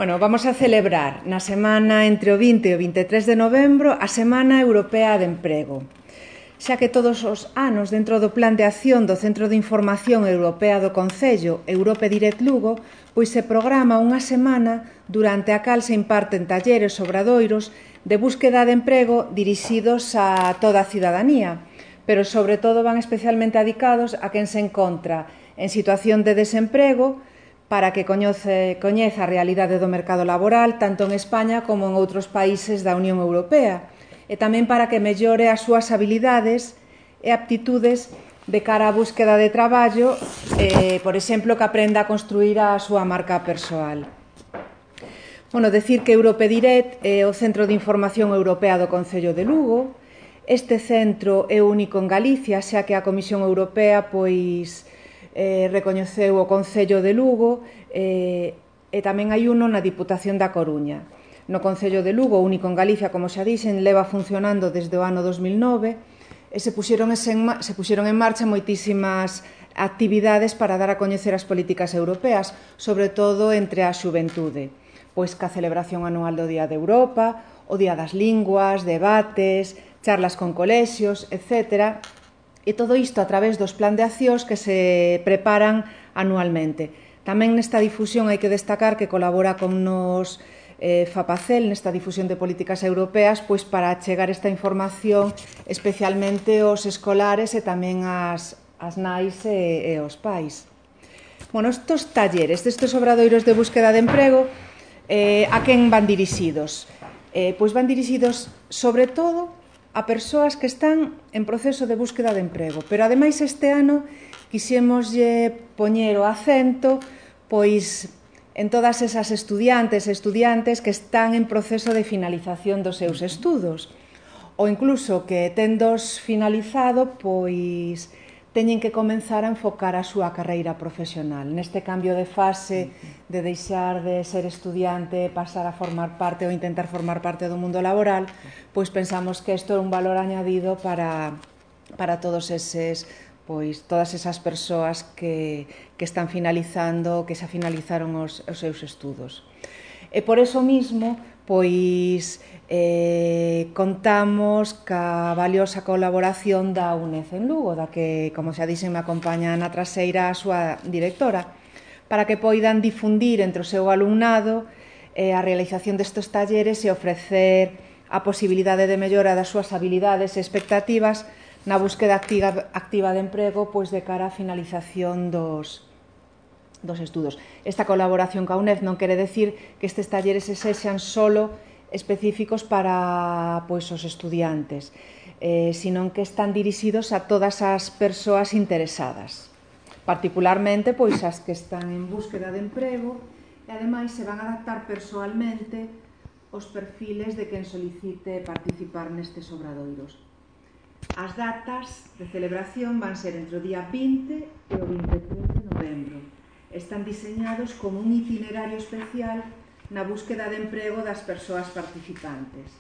Bueno, vamos a celebrar na semana entre o 20 e o 23 de novembro a Semana Europea de Emprego. Xa que todos os anos, dentro do Plan de Acción do Centro de Información Europea do Concello, Europe Direct Lugo, pois se programa unha semana durante a cal se imparten talleres obradoiros de búsqueda de emprego dirixidos a toda a cidadanía, pero sobre todo van especialmente dedicados a quen se encontra en situación de desemprego, para que coñeza a realidade do mercado laboral tanto en España como en outros países da Unión Europea e tamén para que mellore as súas habilidades e aptitudes de cara á búsqueda de traballo, por exemplo, que aprenda a construir a súa marca persoal. Bueno, decir que Europe Direct é o Centro de Información Europea do Concello de Lugo. Este centro é único en Galicia, xa que a Comisión Europea recoñeceu o Concello de Lugo e tamén hai uno na Diputación da Coruña. No Concello de Lugo, único en Galicia, como xa dixen, leva funcionando desde o ano 2009 e se puxeron en marcha moitísimas actividades para dar a coñecer as políticas europeas, sobre todo entre a xuventude, pois ca celebración anual do Día de Europa, o Día das Linguas, debates, charlas con colexios, etc., e todo isto a través dos plan de accións que se preparan anualmente. Tamén nesta difusión hai que destacar que colabora con nos FAPACEL nesta difusión de políticas europeas pois para achegar esta información especialmente aos escolares e tamén ás nais e aos pais. Bueno, estes talleres, estes obradoiros de búsqueda de emprego, a quen van dirixidos? Pois van dirixidos sobre todo a persoas que están en proceso de búsqueda de emprego. Pero, ademais, este ano quixémoslle poñer o acento pois en todas esas estudiantes e estudiantes que están en proceso de finalización dos seus estudos ou incluso que tendos finalizado, pois teñen que comenzar a enfocar a súa carreira profesional. Neste cambio de fase de deixar de ser estudiante, pasar a formar parte ou intentar formar parte do mundo laboral, pois pensamos que isto é un valor añadido para todos eses, pois todas esas persoas que están finalizando, que xa finalizaron os seus estudos. E por eso mismo, pois contamos ca valiosa colaboración da UNED en Lugo, da que, como xa dixen, me acompaña na traseira a súa directora, para que poidan difundir entre o seu alumnado a realización destes talleres e ofrecer a posibilidade de mellora das súas habilidades e expectativas na búsqueda activa de emprego pois de cara á finalización dos estudos. Esta colaboración ca UNED non quere decir que estes talleres sexan solo específicos para os estudiantes, sino que están dirixidos a todas as persoas interesadas, particularmente as que están en búsqueda de emprego e, ademais, se van a adaptar persoalmente os perfiles de quen solicite participar nestes obradoiros. As datas de celebración van ser entre o día 20 e o 23 de novembro. Están diseñados como un itinerario especial na búsqueda de emprego das persoas participantes.